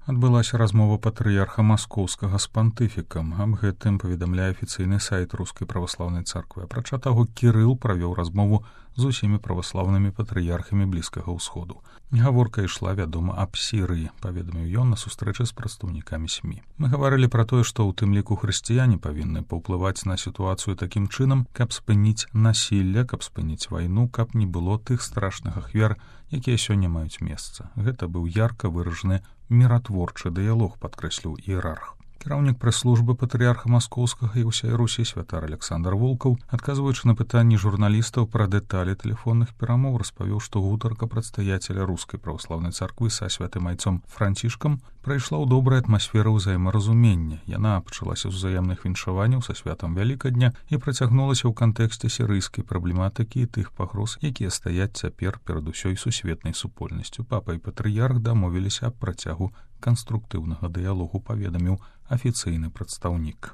Адбылася размова патрыярха маскоўскага з пантыфікам. Аб гэтым паведамляе афіцыйны сайт Рускай праваслаўнай царквы. Апрача таго, Кірыл правёў размову з усімі праваслаўнымі патрыярхамі Блізкага ўсходу. Гаворка ішла, вядома, аб Сірыі, паведаміў ён на сустрэчы з прадстаўнікамі СМІ. Мы гаварылі пра тое, што ў тым ліку хрысціяне павінны паўплываць на сітуацыю такім чынам, каб спыніць насілля, каб спыніць вайну, каб не было тых страшных ахвяр, якія сёння маюць месца. Гэта быў ярка выражаны міратворчы дыялог, падкрэсліў іерарх. Кіраўнік прэс-службы патрыярха маскоўскага і ўсёй Русі святар Александр Волкаў, адказваючы на пытанні журналістаў пра дэталі тэлефонных перамоў, распавёў, што гутарка прадстаяцеля Рускай праваслаўнай царквы са святым айцом Францішкам прайшла ў добрай атмасферы ўзаемаразумення. Яна пачалася з узаемных віншаванняў са святам Вялікадня і працягнулася ў кантэксце сірыйскай праблематыкі і тых пагроз, якія стаяць цяпер перад усёй сусветнай супольнасцю. Папа і патрыярх дамовіліся аб працягу канструктыўнага дыялогу, паведаміў афіцыйны прадстаўнік.